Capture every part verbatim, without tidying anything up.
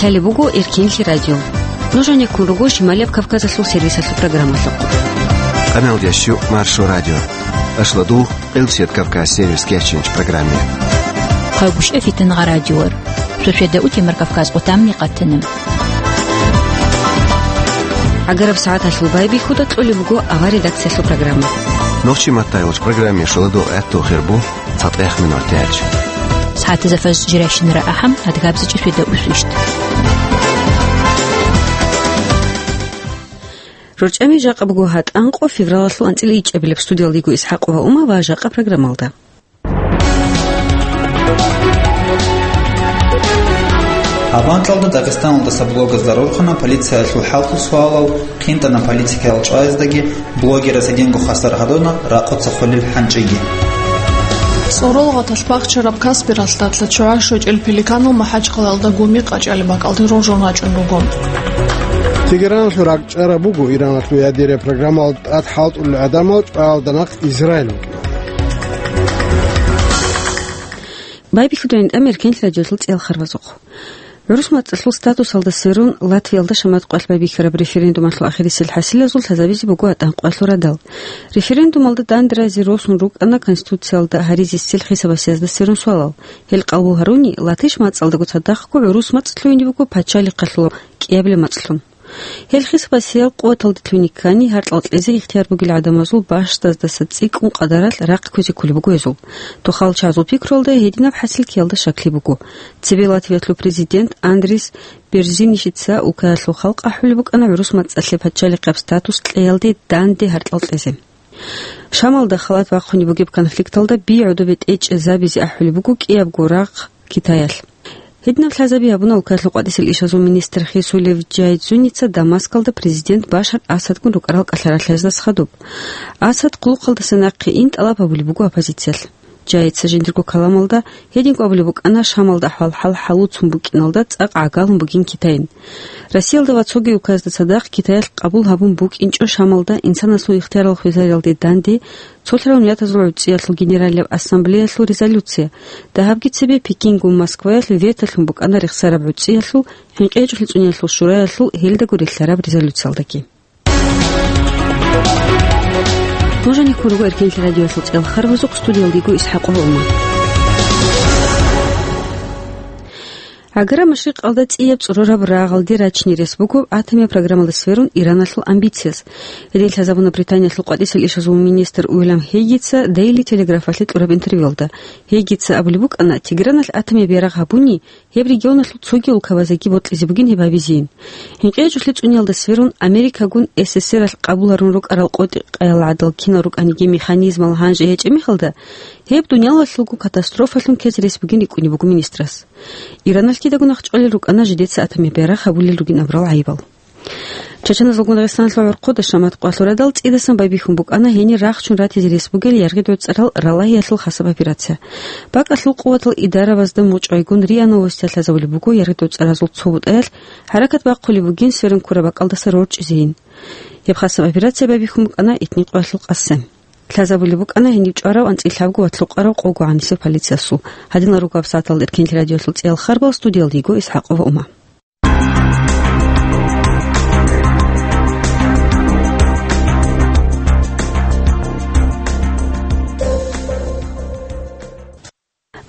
Гьале буго Эркенлъи радио. Нуж гьанеккун руго Шималияб Кавказалъул сервисалъул программалъухъ. Къамел ящу Маршо радио. Ашладу Къилсият Кавказ сервис кечинч программе. Хъагушев Фитнагъа радиор. Шошеда утемар Кавказ къутамни къатана. Агараб сагӀаталъул байбихьуда кьолеб буго авар редакциялъул программа. Нохчи маттайвач программе шоладу гӀатту хирбу. ЦатӀех минутач. СагӀатазда фаз жирайщинара ахӀам, адгабзичӀеб шведа усвищт. РорчӀами жакъа буго гьатӀанкъо февралалъул анцӀила ичӀабилеб. Студиялда йиго ИсхӀакъова Ума ва жакъа программалда. Гьабанталда Дагъистаналдаса блогазда рорхана полициялъул хӀалтӀул суалал, хинтӀана политикаял чӀваяздаги, блогерас гьединго хвасар гьадуна ракъуца хвалил хӀанчӀиги. ЦӀорол гъаталъ бахчараб Каспиралъ датла чугӀа щочӀел пеликанал МахӀачхъалаялда гуми къачӀалеб бакӀалде рожун рачӀун руго. Тегераналъул ракӀчӀараб буго Ираналъул ядерия программал тӀад хӀалтӀулел гӀадамал чӀваялда нахъ Израиль вукӀина. Байбихьудайин тӀамер кенлъ радиолъул цӀел харвазухъ. ГӀурус мацӀалъул статусалда сверун Латвиялда шамат къвалъ байбихьараб референдумалъул ахирисел хӀасилазул лъазабизе буго атӀан къвалъурадал. Референдумалда данде разе росун рукӀана Конституциялда гьаризисел хисабасиязда сверун суалал. Гьел къабул гьаруни, латиш мацӀалдаго цадахъго гӀурус мацӀ лъугьине буго пачалихъалъул кӀиабилеб мацӀлъун. Гьел хисабасиял къуваталде лъугьине ккани, гьаркьал кьезе ихтияр бугел гӀадамазул бащдабаздаса цӀикӀкӀун къадаралъ рахъ кквезе кколеб буго гьезул. Тухал чагӀазул пикруялда гьединаб хӀасил ккеялда щаклъи буго. Цебе Латвиялъул президент Андрис Берзинишица Украиналъул халкъ ахӀулеб букӀана гӀурус мацӀалъе пачалихъаб статус кьеялде данде гьаркьал кьезе. Шамалда халат бахъунеб бугеб конфликталда би гӀодобе тӀечӀезабизе ахӀулеб буго кӀиябго рахъ Китаялъ. Гьединаб лъазаби гьабуна Украиналъул къватӀисел ишазул министр Хисулев Джайдзуница Дамаскалда президент Башар Асадгун рукӀарал кӀалъаралъаздаса хадуб. Асад хъулухъалдаса нахъе ин тӀалаб гьабулеб буго оппозициялъ. Джайдзуница жиндирго каламалда гьединго абулеб букӀана Шамалда ахӀвал-хӀал хӀалуцун букӀиналда цӀакъ гӀагалун бугин Китайин. Россиялда ва цоги улкаязда цадахъ Китаялъ къабул гьабун букӀинчӀо Шамалда инсанасул ихтиярал хвезариялде данде цолъарал миллатазул гӀуцӀиялъул генералияб ассамблеялъул резолюция. Дагьабги цебе Пекингун Москваялъ ветолъун букӀана рехсараб гӀуцӀиялъул хӀинкъи гьечӀолъи цӀуниялъул шураялъул гьелдаго релълъараб резолюциялдаги. Нуж гьанеккун руго Эркенлъи радиоялъул цӀел харвазухъ, студиялда йиго ИсхӀакъова Ума. Гьагара машрикъалда цӀияб цӀурураб рагъалде рачине рес буго атомияб программалда сверун Ираналъул амбицияз. Гьедин лъазабуна Британиялъул къватӀисел ишазул министр Уильям Хейгица Daily Telegraph-алъе кьураб интервьюялда. Хейгица абулеб букӀана, Тегераналъ атомияб ярагъ гьабуни, гьеб регионалъул цоги улкабазеги бокьизе бугин гьеб гьабизейин. ХӀинкъи гьечӀолъи цӀуниялда сверун Америкагун СССР-алъ къабул гьарун рукӀарал къотӀи-къаялда гӀадал кинал рукӀаниги механизмал гьанже гьечӀеб мехалда, гьеб дунялалъулго катастрофалъун ккезе рес бугин рикӀкӀунеб буго министрас. Ираналъ кидаго нахъчӀвалел рукӀана жидеца атомияб ярагъ гьабулел ругин абурал гӀайибал. Чачаназулгун Дагъистаналъул гӀурхъуда шамат къвалъурадал цӀидасан байбихьун букӀана гьенир рахчун ратизе рес бугел яргъи-доцӀарал ралагьиялъул хасаб операция. БакӀалъул къуватал идарабазда мучӀвайгун РИА Новостиялъ лъазабулеб буго яргъи-доцӀаразул цо бутӀаялъ хӀаракат бахъулеб бугин сверун ккураб бакӀалдаса рорчӀизейин. Гьеб хасаб операция байбихьун букӀана итни къоялъул къасе. Лъазабулеб букӀана гьениб чӀварав анцӀила лъабго ва лъукъарав къого гӀанисеб полициясул. Гьадинал руго гьаб сагӀаталда Эркенлъи радиоялъул цӀел харбал, студиялда йиго ИсхӀакъова Ума.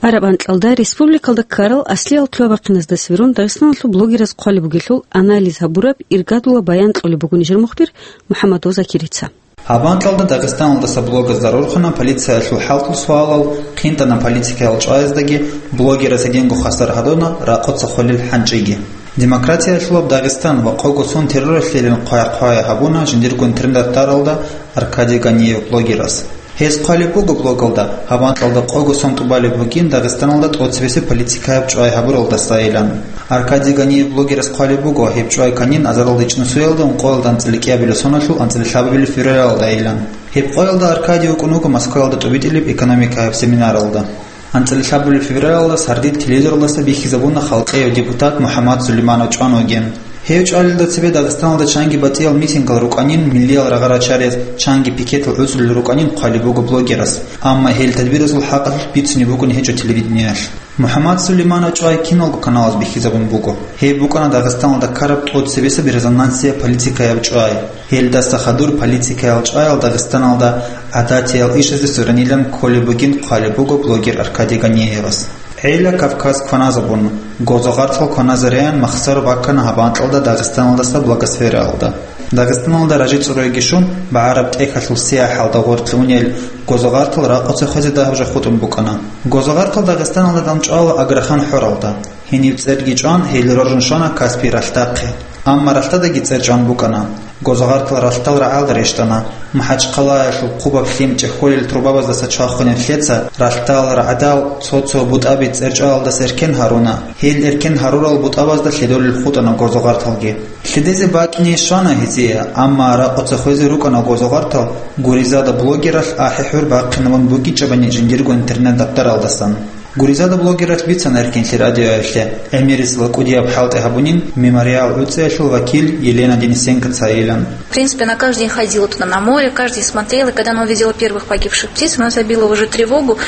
Араб анкьалда республикалда ккарал аслиял лъугьа-бахъиназда сверун Дагъистаналъул блогераз хъвалеб бугелъул анализ гьабураб иргадула баян кьолеб буго нижер мухбир МухӀаммадов Закирица. Гьаб анкьалда Дагъистаналдаса блогазда рорхана полициялъул хӀалтӀул суалал, хинтӀана политикаял чӀваяздаги, блогерас гьединго хвасар гьадуна ракъуца хвалил хӀанчӀиги. Демократиялъулаб Дагъистан ва къого сон терроралъейилан хъвай-хъвай гьабуна жиндирго интернет-даралда Аркадий Ганиев блогерас. Гьес хъвалеб буго блогалда, гьаб анкьалда къого сон тӀубалеб бугин Дагъистаналда тӀоцебесеб политикаяб чӀвай гьабуралдасайилан. Аркадий Ганиев блогерас хъвалеб буго, гьеб чӀвай кканин азарилда ичӀнусиялда ункъоялда анцӀила кӀиабилеб соналъул анцӀила лъабабилеб февралалда айилан. Гьеб къоялда Аркадий вукӀун вуго Москваялда тӀубитӀилеб экономикаяб семинаралда. АнцӀила лъабабилеб февралалда сардид телевизоралдаса бихьизабуна халкъияв депутат МухӀаммад Сулейманов чӀван вугин. Гьев чӀвалелда цебе Дагъистаналда чанги батӀиял митингал рукӀанин, миллиял рагъа рачариз чанги пикетал гӀуцӀулел рукӀанин хъвалеб буго блогерас, амма гьел тадбирасул хӀакъалъулъ бицунеб букӀун гьечӀо телевидениялъ. МухӀаммад Сулейманов чӀвай киналго каналаз бихьизабун буго. Гьеб букӀана Дагъистаналда ккараб тӀоцебесеб резонансияб политикаяб чӀвай. Гьелдаса хадур политикаял чӀваял Дагъистаналда гӀадатиял ишазе суранилан кколеб бугин хъвалеб буго блогер Аркадий Ганиевас. ГӀела Кавказ кваназабун, гозогъартал кваназареян махсар баккана гьаб анкьалда Дагъистаналдаса Благосфераялда. Дагъистаналда ражи-цӀурайги щун, багӀараб тӀехьалъул сияхӀалда гъоркье унел гозогъартал ракъуца хвезе дагьаб жо хутӀун букӀана. Гозогъартал Дагъистаналда данчӀвала Аграхан хӀоралда. Гьениб цӀерги чӀван, гьел роржун щвана Каспий ралъдахъе. Амма ралъдадаги цӀер чӀван букӀана. Гозогъартал ралъдал рагӀалда рещтӀана. МахӀачхъалаялъул хъубаб лъим чӀехьолел трубабаздаса чвахунеб лъеца ралъдал рагӀадал цо-цо бутӀаби цӀерчӀвалалдаса эркен гьаруна. Гьел эркен гьарурал бутӀабазда лъедолел хутӀана гозогъарталги. Лъедезе бакӀни щвана гьезие, амма ракъуца хвезе рукӀана гозогъартал Гуризада блогералъ ахӀи-хӀур бахъинабун букӀинчӀебани жиндирго интернет-даптаралдасан. Гуризада блогералъ бицана Эркенлъи радиоялъе, гӀемерисела кӀудияб хӀалтӀи гьабунин Мемориал гӀуцӀиялъул вакил Елена Денисенкоцайилан. В принципе, она каждый день ходила туда на море, каждый день смотрела. И когда она увидела первых погибших птиц, она забила уже тревогу.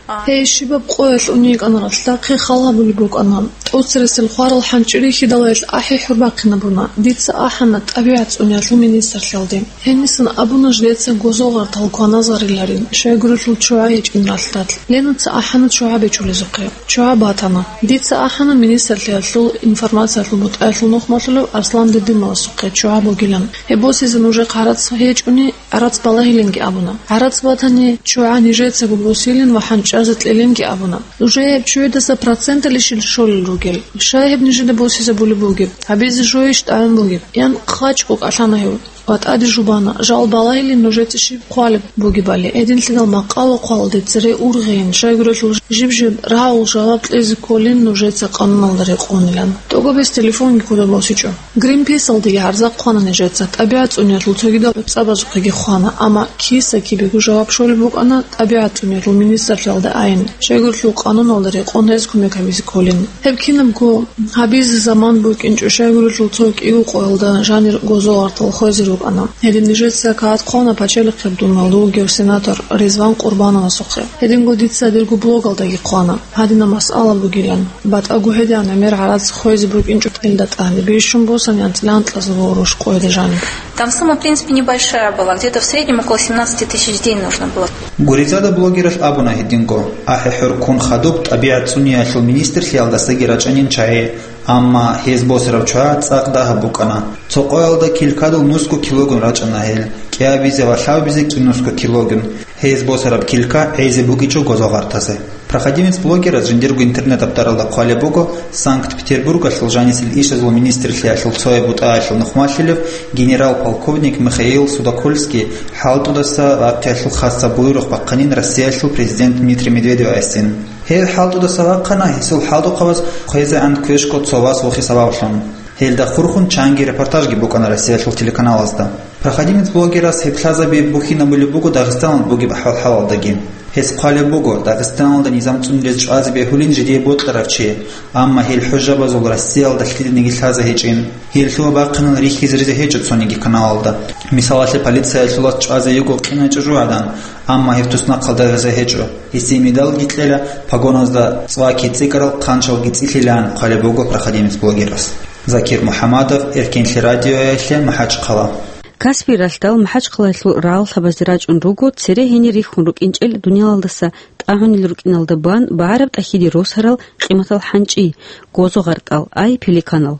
А, Гьей щибаб къоялъ унейкӀана ралъдахъе хал гьабулеб букӀана. ТӀоцересел хварал хӀанчӀи рихьидал гьелъ ахӀи-хӀур бахъинабуна. Дица ахӀана тӀабигӀат цӀуниялъул министрлъиялде. Гьенисан абуна жидеца гозогъартал кваназариларин, щайгурелъул чугӀа гьечӀин ралъдалъ. Ленаца ахӀана чугӀа бичӀчӀулезухъе. ЧугӀа батана. Дица ахӀана министрлъиялъул информациялъул бутӀаялъул нухмалъулев Арслан Дедимовасухъе чугӀа бугилан. Гьеб босизе нужехъ гӀарац гьечӀони, гӀарац балагьилинги абуна. ГӀарац батани, чугӀа нижецаго босилин ва хӀанчӀазе кьелинги абуна. Нужее гьеб чугӀидаса проценталищил щолел ругел? Щай гьеб нижеда босизабулеб бугеб? Гьабизе жойищ тӀагӀун бугеб? Ян хъачӀго кӀалъана гьев. Ва тӀаде жубана, жал балагьилин нужеца щиб хъвалеб бугебали, гьединлъидал макъало хъвалде цере ургъейин, щайгурелъул жиб-жиб рагӀул жаваб кьезе кколин нужеца къануналда рекъонилан. ТӀогобес телефонги кодоб босичӀо. Гринписалдеги гьарза хъвана нижеца, тӀабигӀат цӀуниялъул цогидал гӀуцӀабазухъеги хъвана, амма киса-кибего жаваб щолеб букӀана тӀабигӀат цӀуниялъул министрлъиялда айин, щайгурелъул къануналда рекъон гьез кумек гьабизе кколин. Гьеб кинабго гьабизе заман букӀинчӀо, щайгурелъул цо кӀиго къоялда жанир гозогъартал хвезе рукӀана. Гьедин нижеца кагъат хъвана Пачалихъеб думаялда вугев сенатор Ризван Къурбановасухъе. Гьединго дица дирго блогалдаги хъвана, гьадинаб масъала бугилан. БатӀаго гьедигӀан гӀемер гӀарац хвезе букӀинчӀо кьелда тӀаде, бищун босани анцӀила анкьазул гъурущ къоялда жаниб. Там сумма, в принципе, небольшая была, где-то в среднем около семнадцати тысяч в день нужно было. Гуризада блогералъ абуна гьединго, ахӀи-хӀур ккун хадуб тӀабигӀат цӀуниялъул министрлъиялдасаги рачӀанин чагӀи, амма гьез босараб чугӀа цӀакъ дагьаб букӀана. Цо къоялда килкадул нусго килогун рачӀана гьел, кӀиабизе ва лъабабизе кӀинусго килогун. Гьез босараб килка гӀезе букӀичӀо гозогъартазе. Проходимец блогерас жиндирго интернет-даптаралда хъвалеб буго, Санкт-Петербургалъул жанисел ишазул министрлъиялъул цояб бутӀаялъул нухмалъилев генерал-полковник Михаил Судокольский хӀалтӀудаса вахъиялъул хасаб буйрухъ бахъанин Россиялъул президент Дмитрий Медведевасин. Гьев хӀалтӀудаса вахъана гьесул хӀалтӀухъабаз хъвезегӀан квешго цо вас вохи сабаблъун. Гьелда хурхун чанги репортажги букӀана Россиялъул телеканалазда. Проходимец блогерас гьеб лъазаби бухьинабулеб буго Дагъистаналда бугеб ахӀвал-хӀалалдаги. Гьес хъвалеб буго, Дагъистаналда низам цӀунилез чӀвазе бегьулин жидее бокьарав чи, амма гьел хӀужабазул Россиялда лъиданиги лъазе гьечӀин. Гьел лъугьа-бахъинал рихьизаризе гьечӀо цониги каналалда. Мисалалъе, полициялъул вас чӀвазе йиго къинай чӀужугӀадан, амма гьев туснахъалда гьезе гьечӀо. Гьесие медалги кьела, погоназда цӀваки цӀикӀкӀарал хъанчалги цӀилъилаан хъвалеб буго проходимец блогерас. Закир МухӀаммадов, Эркенлъи радиоялъе, МахӀачхъала. Каспий ралъдал МахӀачхъалаялъул рагӀаллъабазде рачӀун руго, цере гьенир рихьун рукӀинчӀел дуниялалдаса тӀагӀунел рукӀиналда бан багӀараб тӀахьиде росарал къиматал хӀанчӀи, гозогъартал, ай пеликанал.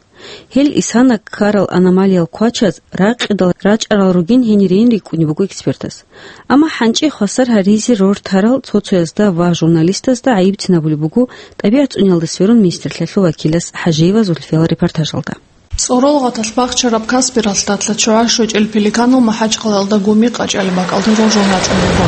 Гьел исана ккарал аномалиял квачаз ракъидал рачӀарал ругин гьенирин рикӀкӀунеб буго экспертас. Амма хӀанчӀи хвасар гьаризе рортарал цо-цоязда ва журналистазда гӀайиб цинабулеб буго ТӀабигӀат цӀуниялда сверун министрлъиялъул вакилас ХӀажиева Зульфиял репортажалда. ЦӀорол гъаталъ бахчараб Каспий ралъдалъ чугӀа щвечӀел пеликанал МахӀачхъалаялда гуми къачӀалеб бакӀалде роржун рачӀун буго.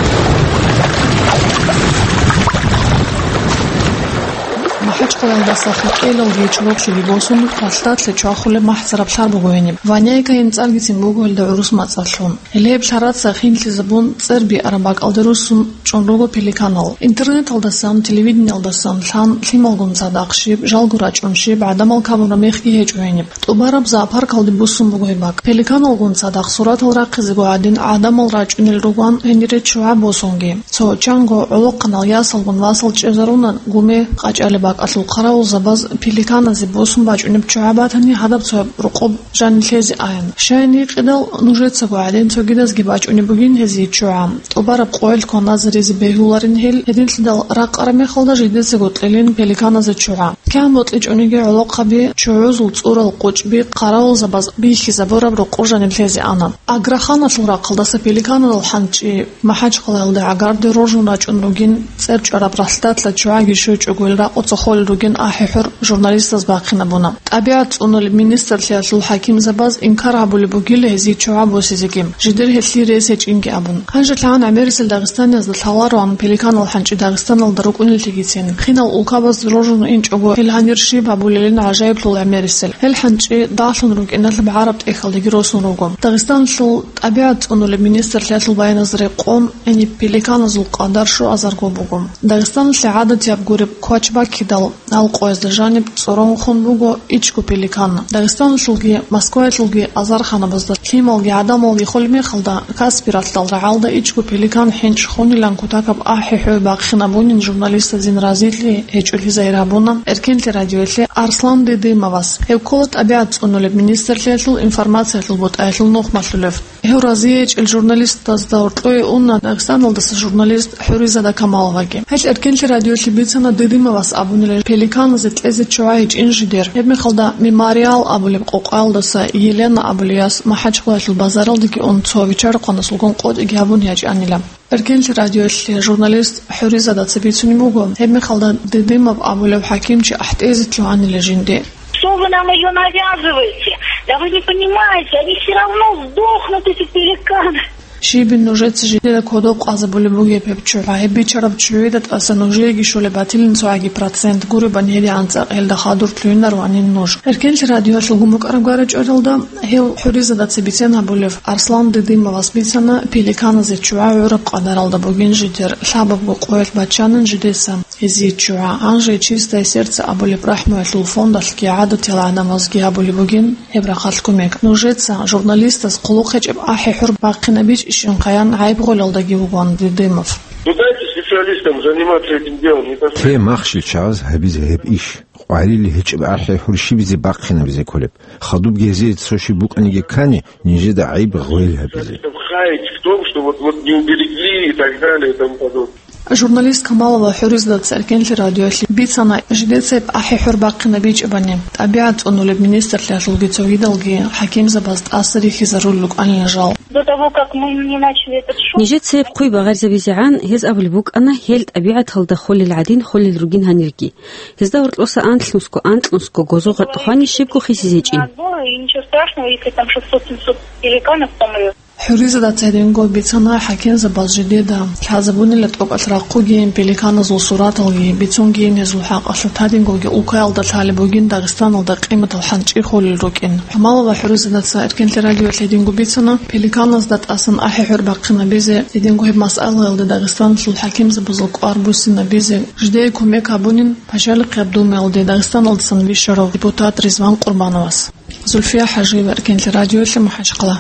ХӀачкъалалдаса хутӀелалги чорохлъиги босун, ралъдалъе чвахулеб махӀзараб лъар буго гьениб. Ваняйка гьениб цӀаргицин буго гьелда гӀурус мацӀалъун. Гьеле гьеб лъаралъа хинлъизабун цӀер биараб бакӀалде руссун чӀун руго пеликанал. Интернеталдасан, телевидениялдасан лъан лъималгун цадахъ щиб, жалго рачӀун щиб, гӀадамал кабураб мехги гьечӀо гьениб. ТӀубараб зоопаркалде буссун буго гьеб бакӀ. Пеликаналгун цадахъ суратал рахъизего гӀадин, гӀадамал рачӀунел ругоан гьенире ччугӀа босунги. Цо чанго гӀолохъанал ясалгун васал чӀезаруна гуме къачӀалеб бакӀалъул хъаравулзабаз пеликаназе босун бачӀунеб ччугӀа батани, гьадаб цояб рокъоб жанив лъезе аян. Щай гьикъидал, нужецаго гӀадин цогидазги бачӀунеб бугин гьезие ччугӀа. ТӀубараб къоялъ кваназаризе бегьуларин гьел, гьединлъидал ракъараб мехалда жидецаго кьелин пеликаназе ччугӀа. КигӀан бокьичӀониги гӀолохъаби, ччугӀузул цӀурал къучӀби, хъаравулзабаз бихьизабураб рокъоб жанив лъезе ана. Аграханалъул рахъалдаса пеликанал хӀанчӀи МахӀачхъалаялда гӀагарде роржун рачӀун ругин, цӀер чӀвараб ралъдалъа ччугӀаги щвечӀого гьел ракъуца холел ругин ахӀи-хӀур журналистаз бахъинабуна. ТӀабигӀат цӀунулеб министрлъиялъул хӀакимзабаз инкар гьабулеб бугила гьезие ччугӀа босизеги, жидер гьелъие рес гьечӀинги абун. Гьанже лъагӀан гӀемерисел дагъистаниязда лъалароан пеликанал хӀанчӀи Дагъистаналда рукӀунеллъигицин. Хинал улкабазде роржун инчӀого гьел гьанир щиб гьабулелин гӀажаиблъул гӀемерисел. Гьел хӀанчӀи дагьлъун рукӀиналъуб гӀараб тӀехьалдаги росун руго. Дагъистаналъул ТӀабигӀат цӀунулеб министрлъиялъул баяназда рекъон, гьениб пеликаназул къадар щуазарго буго. Дагъистаналъе гӀадатияб гуреб квач баккидал, гьал къоязда жаниб цӀорон хун буго ичӀго пеликан. Дагъистаналъулги Москваялъулги азарханабазда лъималги гӀадамалги холеб мехалда, Каспи ралъдал рагӀалда ичӀго пеликан хӀинчӀ хунилан кутакаб ахӀи-хӀуй бахъинабунин журналистазин разилъи гьечӀолъи загьир гьабуна Эркенлъи радиоялъе Арслан Дидимовас. Гьев ккола ТӀабигӀат цӀунулеб министрлъиялъул информациялъул бутӀаялъул нух малъулев. Гьев разиячӀел журналистазда гьоркьое уна Дагъистаналдаса журналист ХӀуризада Камаловаги. Гьел Эркенлъи радиоялъе бицана Дидимовас абунила пеликаназе кьезе ччугӀа гьечӀин жидер. Гьеб мехалда Мемориал абулеб къокъаялдаса Елена абулей яс МахӀачхъалаялъул базаралдеги ун цо виччарахъанасулгун къотӀиги гьабун ячӀанила. Эркенлъи радиоялъе журналист ХӀуризадаца бицунеб буго, гьеб мехалда Дидимов абулев хӀакимчи ахӀтӀезе лъугьанила жинде. Что вы нам её навязываете? Да вы не понимаете, они всё равно сдохнут, эти пеликаны. Щибин нужеца жидеда кодоб къазабулеб бугеб гьеб ччугӀа? Гьеб бичараб ччугӀида тӀаса нужееги щолеб батилин цогӀаги процент, гуребани гьедигӀан цӀакъ гьелда хадур лъугьинаро гьанин нуж. Эркенлъи радиоялъул гумукӀараб гара чӀваралда гьев ХӀуризадаца бицен гьабулев Арслан Дидимовас бицана пеликаназе ччугӀа гӀураб къадаралда бугин жидер, лъабабго къоялъ баччанин жидеца. Гьезие ччугӀа, гьанже «Чистое сердце» абулеб рахӀмуялъул фондалъги гӀадатиял гӀадамазги гьабулеб бугин гьеб рахъалъ кумек. Нужеца журналистас хъулухъ гьечӀеб ахӀи-хӀур бахъинабичӀищинхъаян гӀайиб гъолалдаги вугоан Дидимов. Ну, дайте специалистам заниматься этим делом, не то что... Те махщел чагӀаз гьабизе гьеб иш. Къварили гьечӀеб ахӀи-хӀур щибизе бахъинабизе кколеб? Хадубги гьезие цо щиб букӀаниги ккани, нижеда гӀайиб гъойил гьабизе. Там хаять в том, что вот, вот не уберегли и так далее и тому подобное. Журналист Камалова ХӀуризадаца Эркенлъи радиоялъе бицана, жидецайиб ахӀи-хӀур бахъинабичӀебани, ТӀабигӀат цӀунулеб министрлъиялъулги цогидалги хӀакимзабаз тӀаса рихьизарулел рукӀанила жал. До того, как мы не начали этот шум... Нижецайиб хъуй багъаризабизегӀан, гьез абулеб букӀана, гьел тӀабигӀаталда холел гӀадин холел ругин гьанирги. Гьезда гьоркьоса анлънусго, анкьнусго гозо-гъатӀ хвани щибго хисизечӀин. И ничего страшного, если там шестьсот-семьсот пеликанов помрёт. ХӀуризадаца гьединго бицана хӀакимзабаз жидеда лъазабунила тӀокӀалъ рахъугейин пеликаназул сураталги, бицунгейин гьезул хӀакъалъулъ гьадингоги улкаялда лъалеб бугин Дагъистаналда къиматал хӀанчӀи холел рукӀин. Камалова ХӀуризадаца Эркенлъи радиоялъе гьединго бицана, пеликаназда тӀасан ахӀи-хӀур бахъинабизе, гьединго гьеб масъалаялда Дагъистаналъул хӀакимзабазул кӀвар буссинабизе жидее кумек гьабунин Пачалихъияб Думаялде Дагъистаналдасан вищарав депутат Ризван Къурбановас. Зульфия ХӀажиева, Эркенлъи радиоялъе, МахӀачхъала.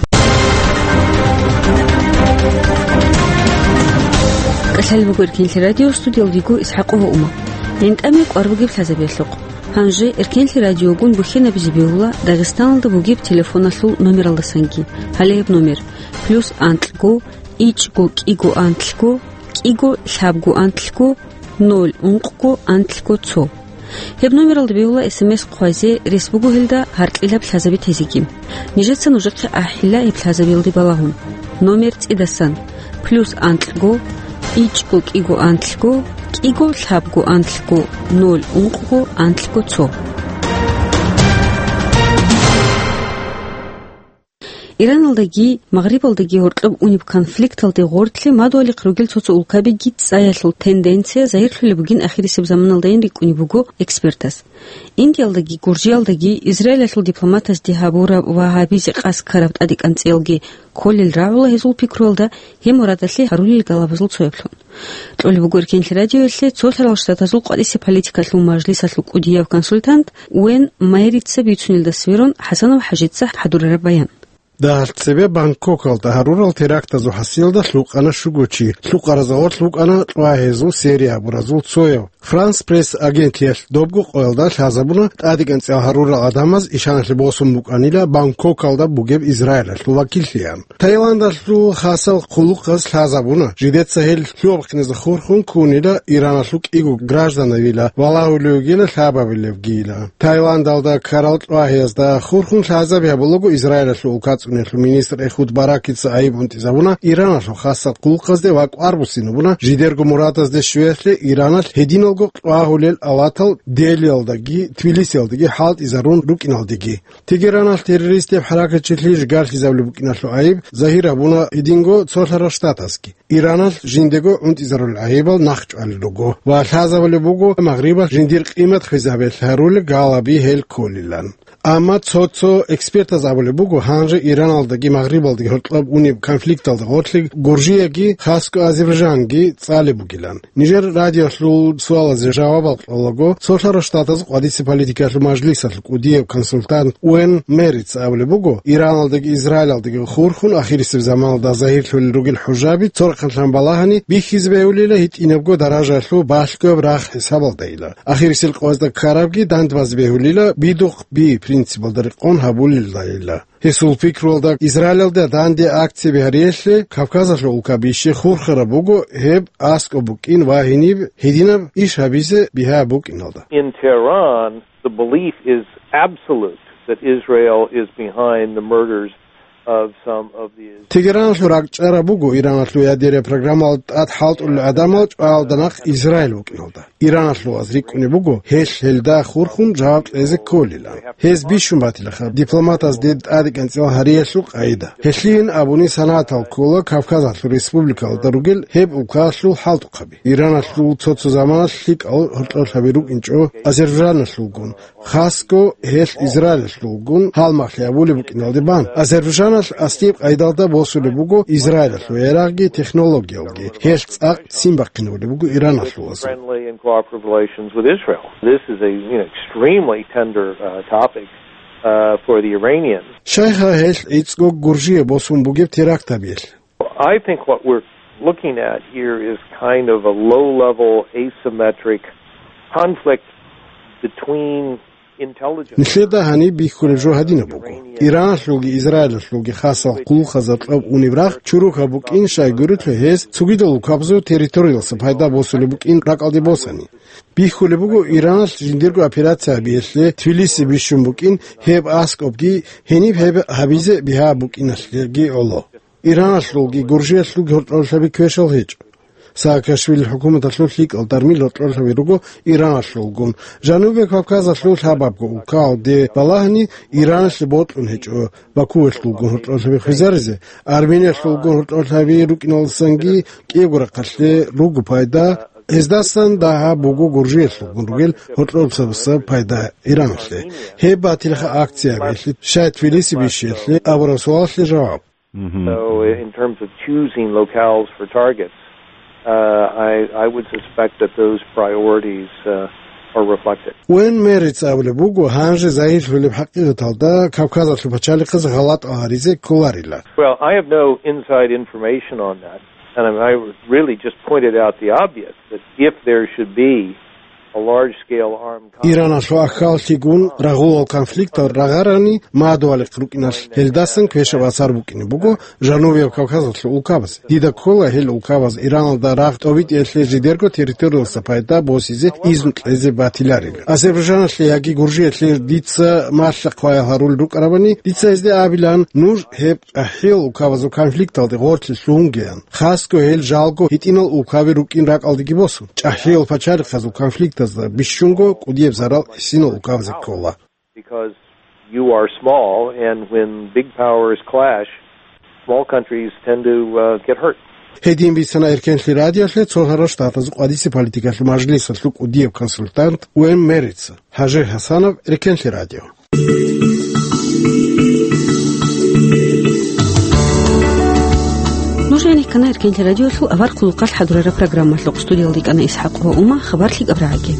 КӀалъалеб буго Эркенлъи радио, студиялда вуго ИсхӀакъова Ума. ГӀинтӀаме кӀвар бугеб лъазабиялъухъ. Гьанже Эркенлъи радиогун бухьинабизе бегьула Дагъистаналда бугеб телефоналъул номералдасанги. Гьале гьеб номер: плюс анкьго, ичӀго кӀиго анлъго, кӀиго лъабго анлъго, ноль ункъго анлъго цо. Гьеб номералда бегьула СМС хъвазе, рес буго гьелда гьаркьилаб лъазаби тезеги. Нижеца нужехъе ахӀила гьеб лъазабиялде балагьун. Номер цӀидасан: плюс анкьго, ичӀго кӀиго анлъго, кӀиго лъабго анлъго, ноль ункъго анлъго цо. Ираналдаги Магърибалдаги гьоркьоб унеб конфликталде гъорлъе мадугьалихъ ругел цо-цо улкабиги цӀаялъул тенденция загьирлъулеб бугин ахирисеб заманалдайин рикӀкӀунеб буго экспертас. Индиялдаги Гуржиялдаги Израилалъул дипломатазде гьабураб ва гьабизе къасд ккараб тӀадекӀанцӀиялги кколел рагӀула гьезул пикруялда, гьеб мурадалъе гьарулел галабазул цояблъун. Кьолеб буго Эркенлъи радиоялъе Цолъарал Штатазул къватӀисе политикалъул мажлисалъул кӀудияв консультант Уэн Майрица бицунелда сверун ХӀасанов ХӀажица хӀадурараб баян. Дагьалъ цебе Бангкокалда гьарурал терактазул хӀасилда лъукъана щуго чи, лъукъаразда гъорлъ букӀана кьвагьезул серия гьабуразул цояв. Франс Пресс агентлъиялъ добго къоялда лъазабуна тӀадекӀанцӀиял гьарурал гӀадамаз ишаналъе босун букӀанила Бангкокалда бугеб Израилалъул вакиллъиан. Таиландалъул хасал хъулухъаз лъазабуна, жидеца гьел лъугьа-бахъиназда хурхун ккунила, Ираналъул кӀиго гражданавила валагьулев вугила, лъабабилевгийила. Таиландалда ккарал кьвагьиязда хурхун лъазаби гьабулаго Израилалъул улка цӀуниялъул министр Эхуд Баракица айиб унтӀизабуна Ираналъул хасал хъулухъазде ва кӀвар буссинабуна жидерго мурадазде щвеялъе Ираналъ гьединалго кьвагьулел авлатал Делиялдаги Тбилисиялдаги хӀалтӀизарун рукӀиналдеги. Тегераналъ террористияб хӀаракатчилъи жигалъизабулеб букӀиналъул айиб загьир гьабуна гьединго Цолъарал Штатазги. Ираналъ жиндего унтӀизарулел гӀайибал нахъчӀвалел руго ва лъазабулеб буго Магърибалъ жиндир къимат хвезабиялъ гьарулел галаби гьел кколилан. Амма цо-цо экспертаз абулеб буго, гьанже Ираналдаги Магърибалдаги гьоркьоб унеб конфликталда гъорлъе Гуржияги, хасго Азербайджанги цӀалеб бугилан. Нижер радиолъул суалазе жавабал кьолаго, Цолъарал Штатаз къватӀисе политикалъул мажлисалъ кӀудияб консультант Уэн Мериц абулеб буго, Ираналдаги Израилалдаги хурхун ахирисеб заманалда загьирлъулел ругел хӀужаби цо рахъалъан балагьани бихьизе бегьулила гьитӀинабго даражалъул балъгояб рагъ хӀисабалдайила. Ахирисел къоязда ккарабги дандбазе бегьулила бидухъ би принципалда рекъон гьабулелдайила. Гьесул пикруялда, Израилалда данде акцияби гьариялъе Кавказалъул улка бищи хурхараб буго гьеб аскӀоб букӀин ва гьениб гьединаб иш гьабизе бигьа букӀиналда. In Tehran, the belief is absolute that Israel is behind the murders of some of these. Тегераналъул ракӀчӀараб буго Ираналъул ядерия программалда тӀад хӀалтӀулел гӀадамал чӀваялда нахъ Израил вукӀиналда. Ираналъул ваз рикӀкӀунеб буго, гьелъ гьелда хурхун жаваб кьезе кколилан. Гьез бищун батилаха дипломатазде тӀадекӀанцӀила гьариялъул къайда. Гьелъийин абуни санагӀатал ккола Кавказалъул республикалда ругел гьеб улкаялъул хӀалтӀухъаби. Ираналъул цо-цо заманалъ лъикӀал гьоркьорлъаби рукӀинчӀо Азербайджаналъулгун, хасго гьелъ Израилалъулгун гьалмагълъи гьабулеб букӀиналде бан. Азербайджаналъ аскӀоб къайдалда босулеб буго Израилалъул ярагъги технологиялги, гьелъ цӀакъ ццин бахъинабулеб буго Ираналъул ваз. Friendly and cooperative relations with Israel. This is a, you know, extremely tender, uh, topic, uh, for the Iranians. Щайха гьелъ гӀицӀго Гуржие босун бугеб теракт гьабиялъ? I think what we're looking at here is kind of a low-level asymmetric conflict between intelligence. Нилъеда гьаниб бихьулеб жо гьадинаб буго. Ираналъулги Израилалъулги хасал хъулухъазда кьоб унеб рагъ чурухъаб букӀин, щайгурелъул гьез цогидал улкабазул территориялдаса пайда босулеб букӀин ракӀалде босани. Бихьулеб буго Ираналъ жиндирго операция гьабиялъе Тбилиси бищун букӀин, гьеб аскӀобги гьениб гьеб гьабизе бигьа букӀиналъеги гӀоло. Ираналъулги Гуржиялъулги гьоркьорлъаби квешал гьечӀо. Саакашвилил хӀукуматалъул лъикӀал дармил гьоркьорлъаби руго Ираналъулгун. Жанубияб Кавказалъул лъабабго улкаялде балагьани Ираналъе бокьун гьечӀо Бакуялъулгун гьоркьорлъаби хвезаризе, Армениялъулгун гьоркьорлъаби рукӀиналдасанги кӀиябго рахъалъе руго пайда, гьездасан дагьаб буго Гуржиялъулгун ругел гьоркьорлъабаса пайда Ираналъе. Гьеб батилха акциябиялъе, щай Тбилиси бищиялъе абураб суалалъе жаваб. So, in terms of choosing locales for targets, uh, I, I would suspect that those priorities, uh, are reflected. Уэн Мериц абулеб буго, гьанже загьирлъулеб хӀакъикъаталда Кавказалъул пачалихъаз гъалатӀал гьаризе кколарила. Well, I have no inside information on that, and I, I really just pointed out the obvious, that if there should be a large-scale armed conflict. Ираналъул ахьаллъигун рагъулал конфликтал рагъарани мадугьалихъ рукӀиналъ, гьелдасан квешаб асар букӀине буго Жанубияб Кавказалъул улкабазе. Дида ккола гьел улкабаз Ираналда рагъ тӀобитӀиялъе жидерго территориялдаса пайда босизе изну кьезе батиларила. Азербайджаналъе яги Гуржиялъе дица малъа-хъваял гьарулел рукӀарабани, дица гьезде абилан, нуж гьеб чӀахӀиял улкабазул конфликталде гъорлъе лъугьунгеян, хасго гьел жалго гьитӀинал улкаби рукӀин ракӀалдеги босун. ЧӀахӀиял пачалихъазул конфликтазда бищунго кӀудияб зарал гьесинал улкабазе ккола. Because You are small, and when big powers clash, small countries tend to uh, get hurt. Гьедин бицана Эркенлъи радиолъе цо гьарал штатазул къвадиси политикалъул мажлисалъул кӀудияб консультант Уэм Мерица. Гьажи Гьасанов, Эркенлъи радио. Нуж гӀенеккана Эркенлъи радиолъул авар хъулухъалъ хӀадурараб программалъухъ. Студиялда йикӀана ИсхӀакъ ва Ума. Хабар лъикӀаб рагӀаги.